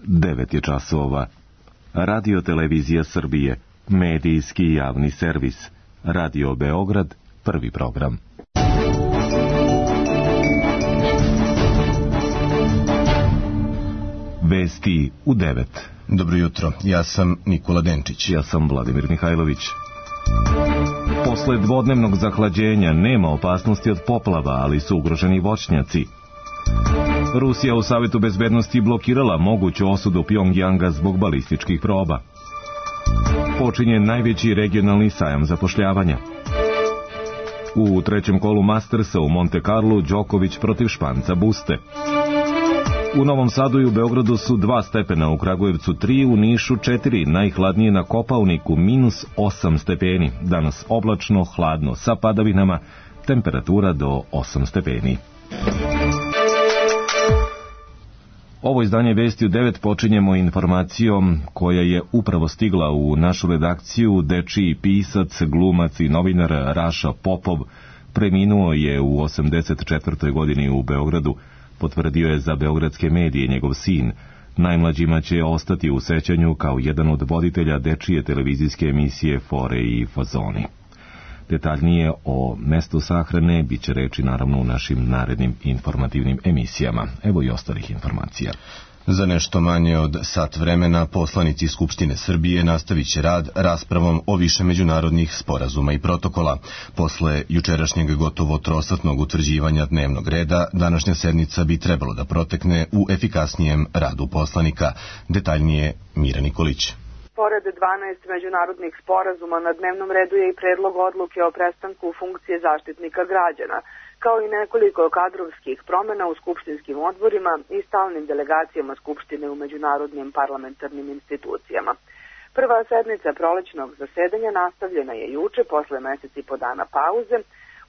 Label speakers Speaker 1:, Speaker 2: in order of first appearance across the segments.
Speaker 1: 9 je časova. Radio Televizija Srbije, medijski javni servis. Radio Beograd, prvi program. Vesti u 9.
Speaker 2: Dobro jutro, ja sam Nikola Denčić.
Speaker 1: Ja sam Vladimir Mihajlović. Posle dvodnevnog zahlađenja nema opasnosti od poplava, ali su ugroženi voćnjaci. Rusija u Savetu bezbednosti blokirala moguću osudu Pjongjanga zbog balističkih proba. Počinje najveći regionalni sajam zapošljavanja. U trećem kolu Mastersa u Monte Carlu Đoković protiv Španca Buste. U Novom Sadu i u Beogradu su 2 stepena, u Kragujevcu 3, u Nišu 4, najhladnije na Kopaoniku -8 stepeni. Danas oblačno, hladno sa padavinama, temperatura do 8 stepeni. Ovo izdanje Vesti u 9 počinjemo informacijom koja je upravo stigla u našu redakciju. Dečiji pisac, glumac i novinar Raša Popov preminuo je u 84. godini u Beogradu, potvrdio je za beogradske medije njegov sin. Najmlađima će ostati u sećanju kao jedan od voditelja dečije televizijske emisije Fore i fazoni. Detaljnije o mestu sahrane bit će reči naravno u našim narednim informativnim emisijama. Evo i ostalih informacija.
Speaker 2: Za nešto manje od sat vremena poslanici Skupštine Srbije nastavit će rad raspravom o više međunarodnih sporazuma i protokola. Posle jučerašnjeg gotovo trosatnog utvrđivanja dnevnog reda, današnja sednica bi trebalo da protekne u efikasnijem radu poslanika. Detaljnije Mira Nikolić.
Speaker 3: Pored 12 međunarodnih sporazuma na dnevnom redu je i predlog odluke o prestanku funkcije zaštitnika građana, kao i nekoliko kadrovskih promjena u skupštinskim odborima i stalnim delegacijama Skupštine u međunarodnim parlamentarnim institucijama. Prva sednica prolećnog zasedanja nastavljena je juče posle mesec i po dana pauze.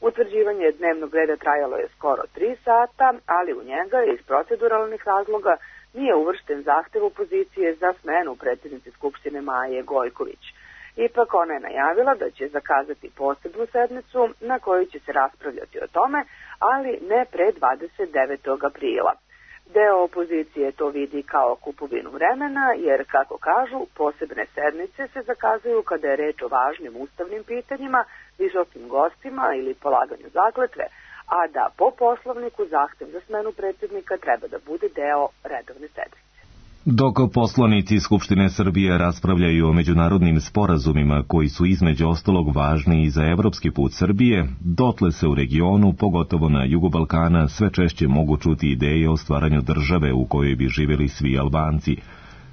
Speaker 3: Utvrđivanje dnevnog reda trajalo je skoro 3 sata, ali u njega iz proceduralnih razloga nije uvršten zahtev opozicije za smenu predsjednice Skupštine Maje Gojković. Ipak ona je najavila da će zakazati posebnu sednicu na kojoj će se raspravljati o tome, ali ne pre 29. aprila. Deo opozicije to vidi kao kupovinu vremena, jer, kako kažu, posebne sednice se zakazuju kada je reč o važnim ustavnim pitanjima, visokim gostima ili polaganju zakletve, a da po poslovniku zahtev za smenu predsjednika treba da bude deo redovne sednice.
Speaker 1: Dok poslanici Skupštine Srbije raspravljaju o međunarodnim sporazumima koji su između ostalog važni i za evropski put Srbije, dotle se u regionu, pogotovo na jugu Balkana, sve češće mogu čuti ideje o stvaranju države u kojoj bi živjeli svi Albanci.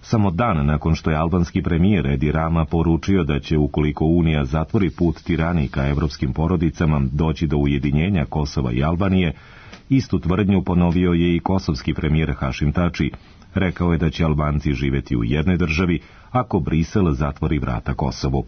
Speaker 1: Samo dan nakon što je albanski premijer Edi Rama poručio da će, ukoliko Unija zatvori put tirani ka evropskim porodicama, doći do ujedinjenja Kosova i Albanije, istu tvrdnju ponovio je i kosovski premijer Hašim Tači. Rekao je da će Albanci živjeti u jednoj državi ako Brisel zatvori vrata Kosovu.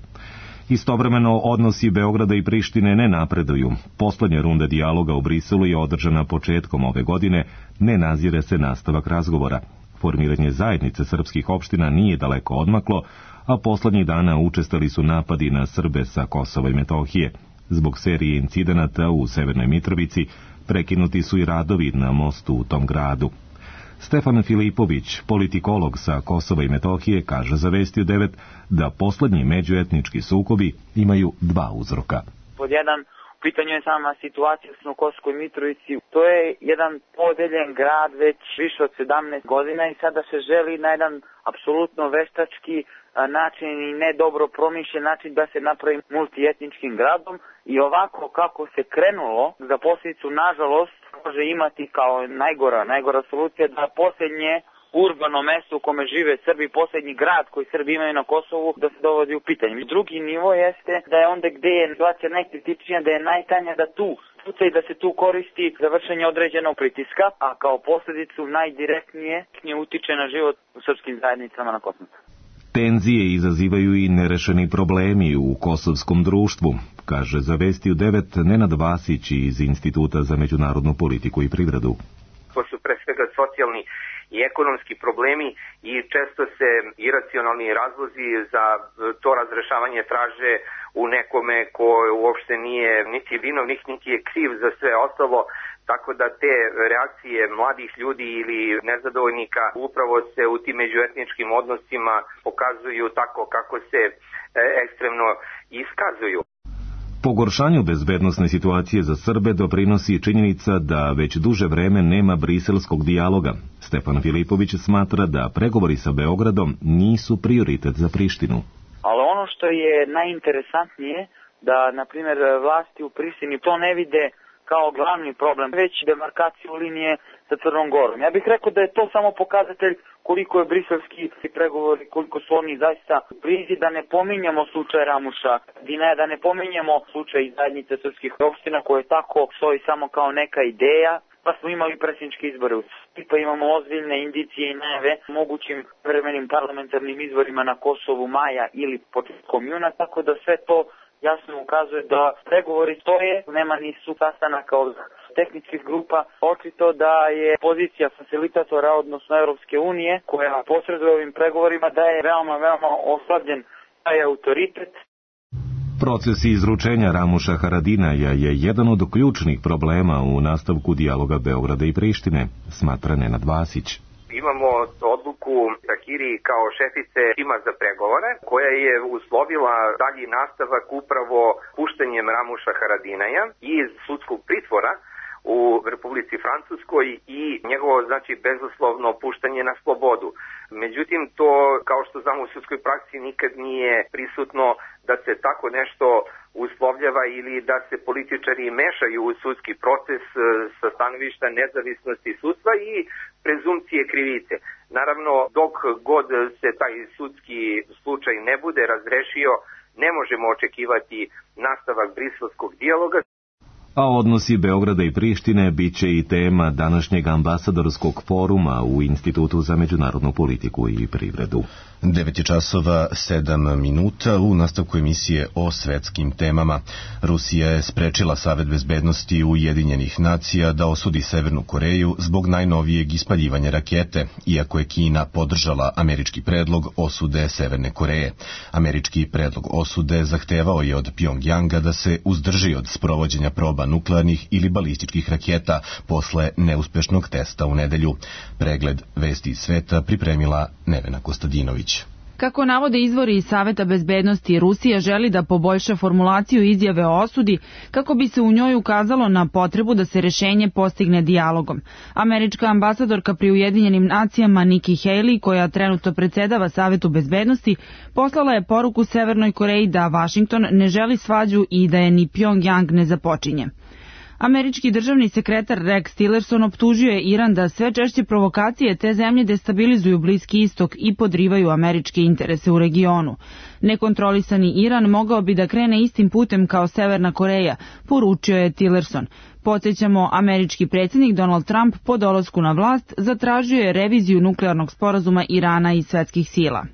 Speaker 1: Istovremeno, odnosi Beograda i Prištine ne napreduju. Poslednja runda dijaloga u Briselu je održana početkom ove godine, ne nazire se nastavak razgovora. Formiranje zajednice srpskih opština nije daleko odmaklo, a poslednjih dana učestali su napadi na Srbe sa Kosova i Metohije. Zbog serije incidenata u Severnoj Mitrovici prekinuti su i radovi na mostu u tom gradu. Stefan Filipović, politikolog sa Kosova i Metohije, kaže za Vesti u 9 da poslednji međuetnički sukobi imaju 2 uzroka.
Speaker 4: Pod jedan, u pitanju je sama situacija u Kosovskoj Mitrovici. To je jedan podeljen grad već više od 17 godina i sada se želi na jedan apsolutno veštački način i ne dobro promišljen način da se napravi multietničkim gradom i ovako kako se krenulo, za posljedicu nažalost može imati kao najgora solucija da posljednje urbano mesto u kome žive Srbi, posljednji grad koji Srbi imaju na Kosovu, da se dovodi u pitanje. Drugi nivo jeste da je onda gdje je situacija najkritičnija, da je najtanja da tu puca i da se tu koristi za vršenje određenog pritiska, a kao posljedicu najdirektnije utiče na život u srpskim zajednicama na Kosovu.
Speaker 1: Tenzije izazivaju i nerešeni problemi u kosovskom društvu, kaže za Vesti u 9 Nenad Vasić iz Instituta za međunarodnu politiku i privredu.
Speaker 5: To su pre svega socijalni i ekonomski problemi i često se iracionalni razlozi za to razrešavanje traže u nekome ko uopšte nije niti vinovnik, niti je kriv za sve ostalo. tako da te reakcije mladih ljudi ili nezadovoljnika upravo se u tim međuetničkim odnosima pokazuju tako kako se ekstremno iskazuju.
Speaker 1: Pogoršanju bezbednosne situacije za Srbe doprinosi činjenica da već duže vreme nema briselskog dijaloga. Stefan Filipović smatra da pregovori sa Beogradom nisu prioritet za Prištinu.
Speaker 4: Ali ono što je najinteresantnije, da, na primjer, vlasti u Prištini to ne vide kao glavni problem, već demarkaciju linije sa Crnom Gorom. Ja bih rekao da je to samo pokazatelj koliko je briselski pregovori, koliko su oni zaista blizi, da ne pominjamo slučaj Ramuša, da ne pominjamo slučaj zajednice srpskih opština koje tako stoji samo kao neka ideja, pa smo imali predsjedničke izbore u Srbiji, pa imamo ozbiljne indicije i najave mogućim vremenim parlamentarnim izborima na Kosovu maja ili početkom juna, tako da sve to jasno ukazuje da pregovori stoje, nema ni sastanaka od tehničkih grupa. Očito da je pozicija facilitatora, odnosno Europske unije, koja posreduje ovim pregovorima, da je veoma oslabljen taj autoritet.
Speaker 1: Proces izručenja Ramuša Haradinaja je jedan od ključnih problema u nastavku dijaloga Beograda i Prištine, smatra Nenad Vasić.
Speaker 5: Imamo odluku Tahiri kao šefice tima za pregovore, koja je uslovila dalji nastavak upravo puštanjem Ramuša Haradinaja iz sudskog pritvora u Republici Francuskoj i njegovo, bezuslovno puštanje na slobodu. Međutim, to, kao što znamo u sudskoj praksi, nikad nije prisutno da se tako nešto uslovljava ili da se političari mešaju u sudski proces sa stanovišta nezavisnosti sudstva i prezumcije krivice. Naravno, dok god se taj sudski slučaj ne bude razrešio, ne možemo očekivati nastavak briselskog dijaloga.
Speaker 1: A odnosi Beograda i Prištine bit će i tema današnjeg ambasadorskog foruma u Institutu za međunarodnu politiku i privredu.
Speaker 2: 9:07 u nastavku emisije o svetskim temama. Rusija je sprečila Savet bezbednosti Ujedinjenih nacija da osudi Severnu Koreju zbog najnovijeg ispaljivanja rakete, iako je Kina podržala američki predlog osude Severne Koreje. Američki predlog osude zahtevao je od Pjongjanga da se uzdrži od sprovođenja proba nuklearnih ili balističkih raketa posle neuspešnog testa u nedelju. Pregled vesti iz sveta pripremila Nevena Kostadinović.
Speaker 6: Kako navode izvori iz Saveta bezbednosti, Rusija želi da poboljša formulaciju izjave o osudi kako bi se u njoj ukazalo na potrebu da se rešenje postigne dijalogom. Američka ambasadorka pri Ujedinjenim nacijama Nikki Haley, koja trenutno predsedava Savetu bezbednosti, poslala je poruku Severnoj Koreji da Vašington ne želi svađu i da je ni Pjongjang ne započinje. Američki državni sekretar Rex Tillerson optužio je Iran da sve češće provokacije te zemlje destabilizuju Bliski istok i podrivaju američke interese u regionu. Nekontrolisani Iran mogao bi da krene istim putem kao Severna Koreja, poručio je Tillerson. Podsjećamo, američki predsjednik Donald Trump po dolasku na vlast zatražio je reviziju nuklearnog sporazuma Irana i svetskih sila.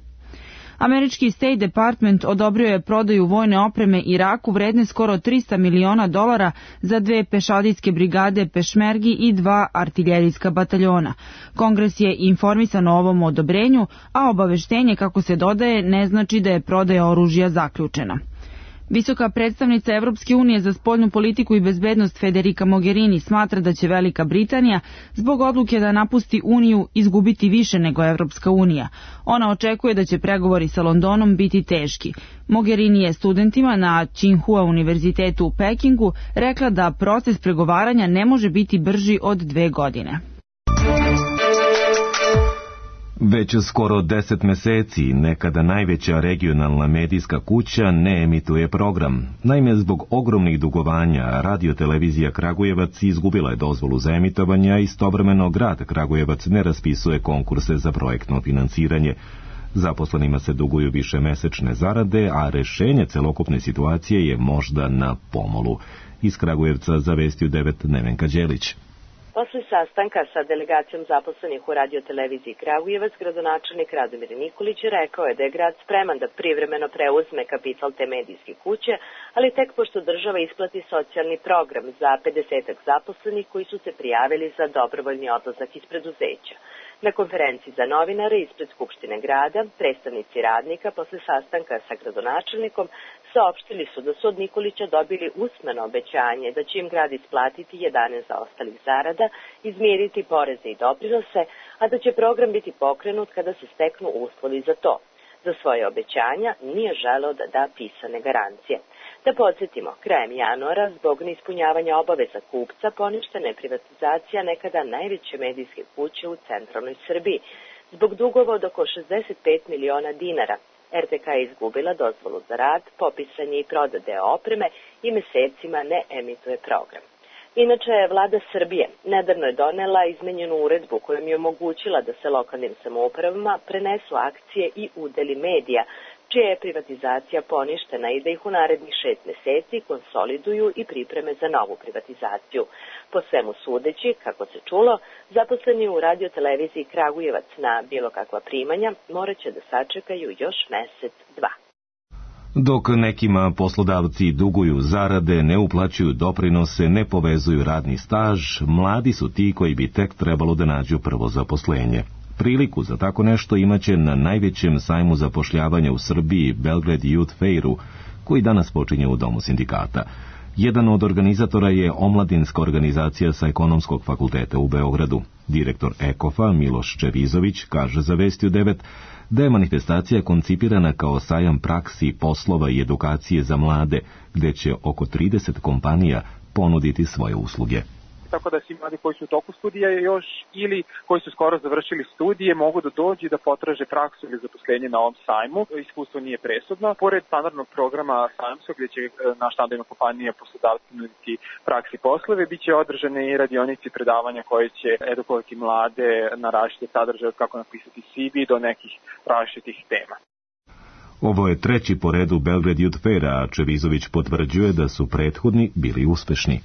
Speaker 6: Američki State Department odobrio je prodaju vojne opreme Iraku vredne skoro $300 miliona za 2 pešadijske brigade Pešmergi i 2 artiljerijska bataljona. Kongres je informisan o ovom odobrenju, a obaveštenje, kako se dodaje, ne znači da je prodaja oružja zaključena. Visoka predstavnica Evropske unije za spoljnu politiku i bezbednost Federica Mogherini smatra da će Velika Britanija zbog odluke da napusti Uniju izgubiti više nego Evropska unija. Ona očekuje da će pregovori sa Londonom biti teški. Mogherini je studentima na Tsinghua univerzitetu u Pekingu rekla da proces pregovaranja ne može biti brži od 2 godine.
Speaker 1: Već skoro 10 meseci nekada najveća regionalna medijska kuća ne emituje program. Naime, zbog ogromnih dugovanja, radiotelevizija Kragujevac izgubila je dozvolu za emitovanje, a istovremeno grad Kragujevac ne raspisuje konkurse za projektno finansiranje. Zaposlenima se duguju višemesečne zarade, a rešenje celokupne situacije je možda na pomolu. Iz Kragujevca za Vesti u 9 Nevenka Đelić.
Speaker 7: Posle sastanka sa delegacijom zaposlenih u radioteleviziji Kragujevac, gradonačelnik Radomir Nikolić rekao je da je grad spreman da privremeno preuzme kapital te medijske kuće, ali tek pošto država isplati socijalni program za 50 zaposlenih koji su se prijavili za dobrovoljni odlazak iz preduzeća. Na konferenciji za novinare ispred Skupštine grada, predstavnici radnika posle sastanka sa gradonačelnikom saopštili su da su od Nikolića dobili usmeno obećanje da će im grad isplatiti 11 zaostalih zarada, izmiriti poreze i doprinose, a da će program biti pokrenut kada se steknu uslovi za to. Za svoje obećanja nije želeo da da pisane garancije. Da podsjetimo, krajem januara, zbog neispunjavanja obaveza kupca, poništena je privatizacija nekada najveće medijske kuće u centralnoj Srbiji. Zbog dugova od oko 65 miliona dinara, RTK je izgubila dozvolu za rad, popisanje i prodaje opreme i mesecima ne emituje program. Inače, vlada Srbije nedavno je donela izmenjenu uredbu kojom je omogućila da se lokalnim samoupravama prenesu akcije i udeli medija, čija je privatizacija poništena i da ih u narednih 6 meseci konsoliduju i pripreme za novu privatizaciju. Po svemu sudeći, kako se čulo, zaposleni u radioteleviziji Kragujevac na bilo kakva primanja morat će da sačekaju još mesec, dva.
Speaker 1: Dok nekima poslodavci duguju zarade, ne uplaćuju doprinose, ne povezuju radni staž, mladi su ti koji bi tek trebalo da nađu prvo zaposlenje. Priliku za tako nešto imaće na najvećem sajmu zapošljavanja u Srbiji, Belgrade Youth Fairu, koji danas počinje u Domu sindikata. Jedan od organizatora je omladinska organizacija sa Ekonomskog fakulteta u Beogradu. Direktor EKOFA, Miloš Čevizović, kaže za Vesti u 9 da je manifestacija koncipirana kao sajam praksi, poslova i edukacije za mlade, gde će oko 30 kompanija ponuditi svoje usluge.
Speaker 8: Tako da svi mladi koji su u toku studija još ili koji su skoro završili studije mogu da dođu i da potraže praksu ili zaposlenje na ovom sajmu. Iskustvo nije presudno. Pored standardnog programa sajamskog gdje će naš standardna kompanija poslodavci nuditi praksi poslove, bit će održane i radionici predavanja koje će edukovati mlade na različite sadržaje, kako napisati CV do nekih različitih tema.
Speaker 1: Ovo je treći po redu Belgrade Youth Fair, a Čevizović potvrđuje da su prethodni bili uspešni.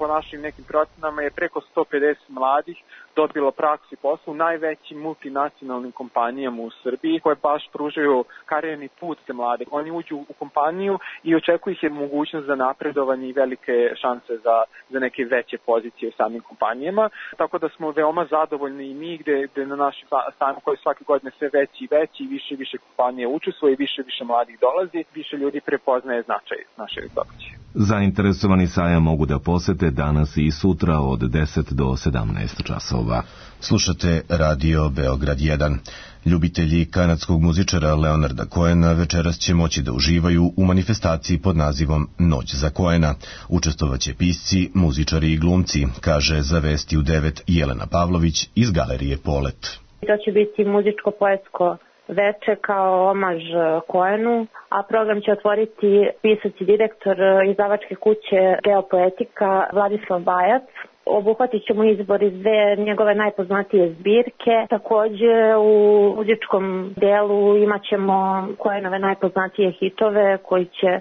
Speaker 8: Po našim nekim procenama je preko 150 mladih dobilo praksu i posao u najvećim multinacionalnim kompanijama u Srbiji koje baš pružaju karijerni put za mlade. Oni uđu u kompaniju i očekuje ih je mogućnost za napredovanje i velike šanse za neke veće pozicije u samim kompanijama. Tako da smo veoma zadovoljni i mi gde na našem sajmu koji svake godine sve veći i veći i više kompanije učestvuje i više mladih dolazi, više ljudi prepoznaje značaj našeg događaja.
Speaker 1: Zainteresovani sajam mogu da posete danas i sutra od 10 do 17 časova.
Speaker 2: Slušate Radio Beograd 1. Ljubitelji kanadskog muzičara Leonarda Cohena večeras će moći da uživaju u manifestaciji pod nazivom Noć za Cohena. Učestvovaće pisci, muzičari i glumci, kaže za Vesti u 9 Jelena Pavlović iz Galerije Polet.
Speaker 9: To će biti muzičko-poetsko veče kao omaž Cohenu, a program će otvoriti pisac i direktor izdavačke kuće Geopoetika Vladislav Bajac. Obuhvatit ćemo izbor iz dve njegove najpoznatije zbirke. Takođe u muzičkom delu imat ćemo Cohenove najpoznatije hitove koji će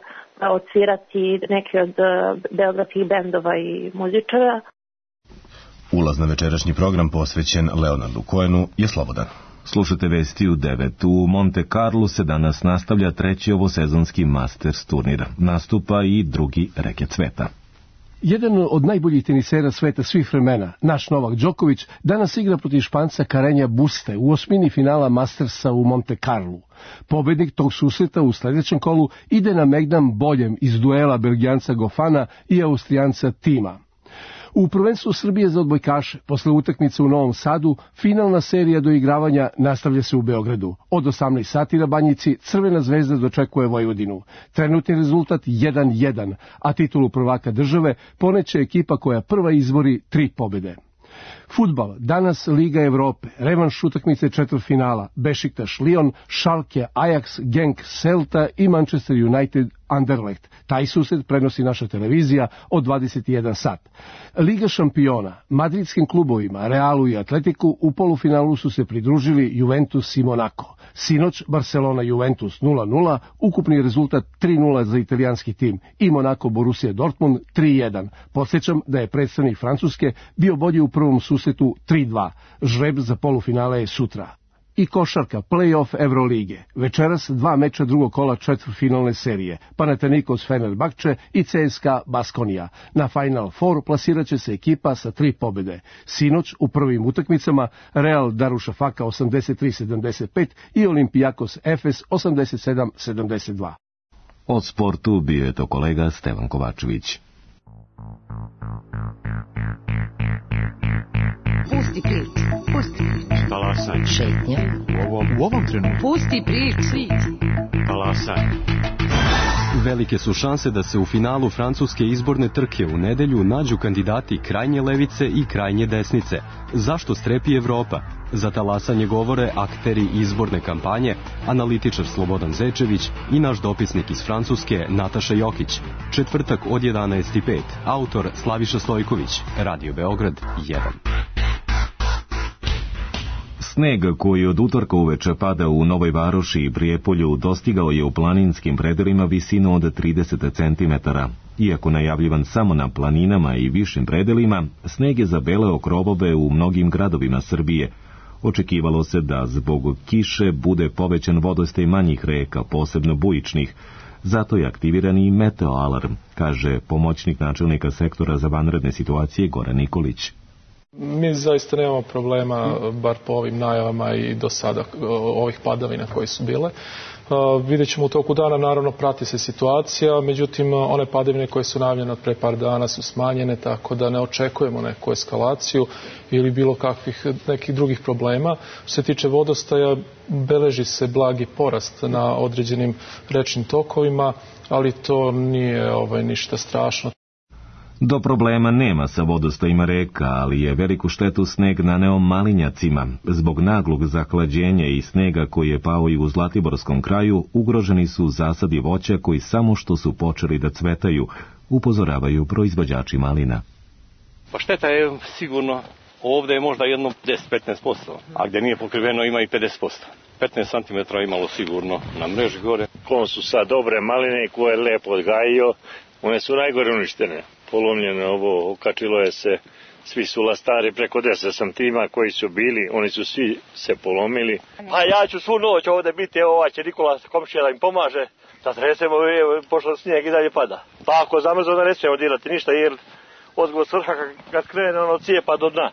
Speaker 9: odsvirati neki od beogradskih bendova i muzičara.
Speaker 2: Ulaz na večerašnji program posvećen Leonardu Cohenu je slobodan.
Speaker 1: Slušate Vesti u 9. U Monte Carlo se danas nastavlja treći ovosezonski Masters turnir. Nastupa i drugi reket sveta.
Speaker 10: Jedan od najboljih tenisera sveta svih vremena, naš Novak Đoković, danas igra protiv Španca Carreña Buste u osmini finala Mastersa u Monte Carlu. Pobednik tog susreta u sledećem kolu ide na megdam boljem iz duela Belgijanca Gofana i Austrijanca Tima. U prvenstvu Srbije za odbojkaše, posle utakmice u Novom Sadu, finalna serija doigravanja nastavlja se u Beogradu. Od 18 sati na Banjici Crvena zvezda dočekuje Vojvodinu. Trenutni rezultat 1-1, a titulu prvaka države poneće ekipa koja prva izbori 3 pobede. Fudbal, danas Liga Evrope, revanš utakmice četvrtfinala, Bešiktaš Lyon, Schalke, Ajax, Genk, Celta i Manchester United Anderlecht. Taj susret prenosi naša televizija od 21 sat. Liga šampiona, madridskim klubovima, Realu i Atletiku u polufinalu su se pridružili Juventus i Monaco. Sinoć Barcelona Juventus 0-0, ukupni rezultat 3-0 za italijanski tim i Monaco Borussia Dortmund 3-1. Podsjećam da je predstavnik Francuske bio bolji u prvom susretu 3-2. Žreb za polufinale je sutra. I košarka, play-off Evrolige. Večeras 2 meča drugog kola četvrtfinalne serije. Panathinaikos Fenerbahče i CSKA Baskonija. Na Final Four plasiraće se ekipa sa 3 pobjede. Sinoć u prvim utakmicama Real Darušafaka 83-75 i Olimpijakos Efes 87-72.
Speaker 1: O sportu bio je to kolega Stevan Kovačević.
Speaker 11: Pusti priču, pusti priču.
Speaker 12: Talasaj.
Speaker 11: Šetnja.
Speaker 12: U ovom trenutku.
Speaker 11: Pusti priču.
Speaker 12: Talasaj. Velike su šanse da se u finalu francuske izborne trke u nedelju nađu kandidati krajnje levice i krajnje desnice. Zašto strepi Evropa? Za talasanje govore akteri izborne kampanje, analitičar Slobodan Zečević i naš dopisnik iz Francuske Nataša Jokić. Četvrtak od 11:05. Autor Slaviša Stojković. Radio Beograd 1.
Speaker 1: Sneg koji od utorka uveče pada u Novoj Varoši i Prijepolju dostigao je u planinskim predelima visinu od 30 cm. Iako najavljivan samo na planinama i višim predelima, sneg je zabeleo krovove u mnogim gradovima Srbije. Očekivalo se da zbog kiše bude povećan vodostaj manjih reka, posebno bujičnih. Zato je aktiviran i meteoalarm, kaže pomoćnik načelnika sektora za vanredne situacije Goran Nikolić.
Speaker 13: Mi zaista nemamo problema, bar po ovim najavama i do sada ovih padavina koje su bile. Vidjet ćemo u toku dana, naravno prati se situacija, međutim one padavine koje su najavljene od pre par dana su smanjene, tako da ne očekujemo neku eskalaciju ili bilo kakvih nekih drugih problema. Što se tiče vodostaja, beleži se blagi porast na određenim rečnim tokovima, ali to nije ništa strašno.
Speaker 1: Do problema nema sa vodostajima reka, ali je veliku štetu sneg naneo malinjacima. Zbog naglog zahlađenja i snega koji je pao i u Zlatiborskom kraju, ugroženi su zasadi voća koji samo što su počeli da cvetaju, upozoravaju proizvođači malina.
Speaker 14: Pa šteta je sigurno, ovdje je možda jedno 10-15%, a gdje nije pokriveno ima i 50%. 15 cm imalo sigurno na mreži gore.
Speaker 15: Kon su sad dobre maline koje je lepo odgajio, one su najgore uništene. Polomljeno ovo, okačilo je se, svi su lastari preko 10 santima koji su bili, oni su svi se polomili. A ja ću svu noć ovdje biti, evo će Nikola komšija da im pomaže, da tresemo, pošto snijeg i dalje pada. Pa ako zamrzno da ne smijemo dirati ništa, jer odgovor svrha kad krene ono cijepa do dna.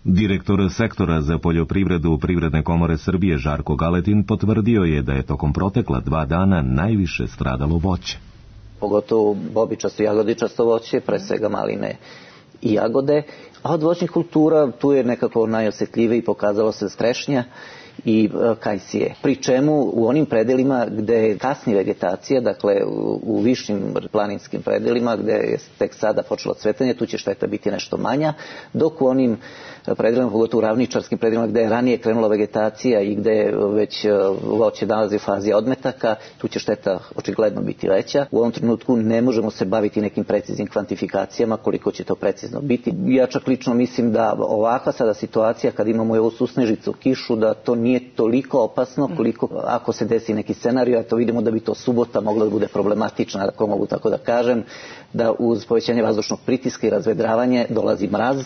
Speaker 1: Direktor sektora za poljoprivredu Privredne komore Srbije Žarko Galetin potvrdio je da je tokom protekla 2 dana najviše stradalo voće.
Speaker 16: Pogotovo bobičasto i jagodičasto voće, pre svega maline i jagode. A od voćnih kultura tu je nekako najosjetljivije i pokazalo se strešnja i kajsije. Pri čemu u onim predelima gde je kasni vegetacija, dakle u višim planinskim predelima gde je tek sada počelo cvetanje, tu će šteta biti nešto manja, dok u onim predelima, pogotovo u ravničarskim predelima gde je ranije krenula vegetacija i gde već voće nalazi u fazi odmetaka, tu će šteta očigledno biti veća. U ovom trenutku ne možemo se baviti nekim preciznim kvantifikacijama koliko će to precizno biti. Ja čak lično mislim da ovakva sada situacija kad imamo ovu susnežicu, kišu, da to nije toliko opasno koliko ako se desi neki scenarij, a to vidimo da bi to subota mogla da bude problematična, ako mogu tako da kažem, da uz povećanje vazdušnog pritiska i razvedravanje dolazi mraz.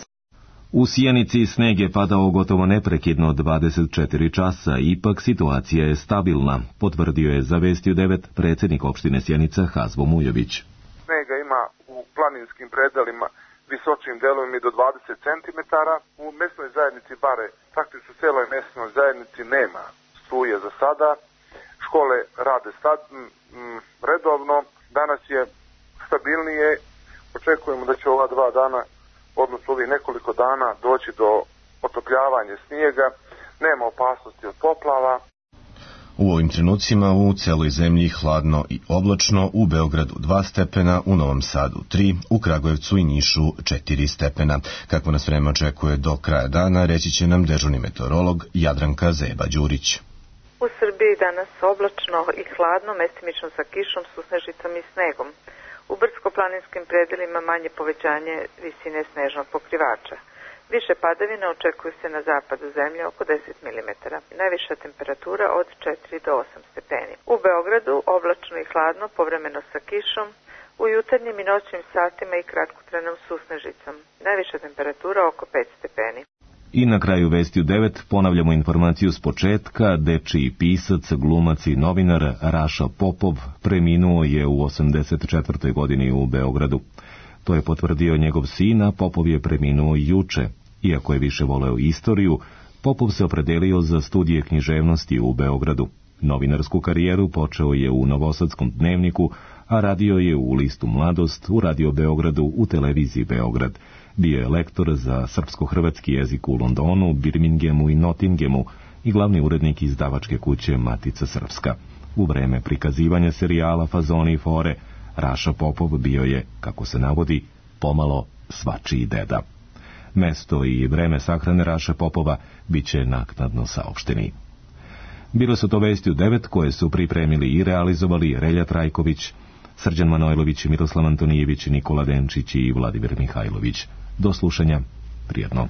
Speaker 1: U Sjenici sneg je padao gotovo neprekidno 24 časa, ipak situacija je stabilna, potvrdio je za Vestiju 9 predsjednik opštine Sjenica Hazvo Mujović.
Speaker 17: Snega ima u planinskim predelima visočim delovima i do 20 cm. U mesnoj zajednici Bare, faktično u celoj mesnoj zajednici nema struje za sada. Škole rade redovno, danas je stabilnije, očekujemo da će ova 2 dana, odnosno ovih nekoliko dana, doći do otopljavanja snijega, nema opasnosti od poplava.
Speaker 2: U ovim trenucima u celoj zemlji hladno i oblačno, u Beogradu 2 stepena, u Novom Sadu 3, u Kragujevcu i Nišu 4 stepena. Kako nas vreme očekuje do kraja dana, reći će nam dežurni meteorolog Jadranka Zeba-Đurić.
Speaker 18: U Srbiji danas oblačno i hladno, mestimično sa kišom, susnežicom i snegom. U brdsko-planinskim predelima manje povećanje visine snežnog pokrivača. Više padavina očekuju se na zapadu zemlje oko 10 mm. Najviša temperatura od 4 do 8 stepeni. U Beogradu oblačno i hladno, povremeno sa kišom, u jutarnjim i noćnim satima i kratkotrenom susnežicom. Najviša temperatura oko 5 stepeni.
Speaker 1: I na kraju vesti u 9 ponavljamo informaciju s početka. Dečiji pisac, glumac i novinar Raša Popov preminuo je u 84. godini u Beogradu. To je potvrdio njegov sin, a Popov je preminuo juče. Iako je više voleo istoriju, Popov se opredelio za studije književnosti u Beogradu. Novinarsku karijeru počeo je u Novosadskom dnevniku, a radio je u listu Mladost, u Radio Beogradu, u televiziji Beograd. Bio je lektor za srpsko-hrvatski jezik u Londonu, Birminghamu i Nottinghamu i glavni urednik izdavačke kuće Matica Srpska. U vreme prikazivanja serijala Fazoni i fore, Raša Popov bio je, kako se navodi, pomalo svačiji deda. Mesto i vreme sahrane Raše Popova bit će naknadno saopšteni. Bile su to vesti u 9 koje su pripremili i realizovali Relja Trajković, Srđan Manojlović, Miroslav Antonijević, Nikola Denčić i Vladimir Mihajlović. Do slušanja, prijatno.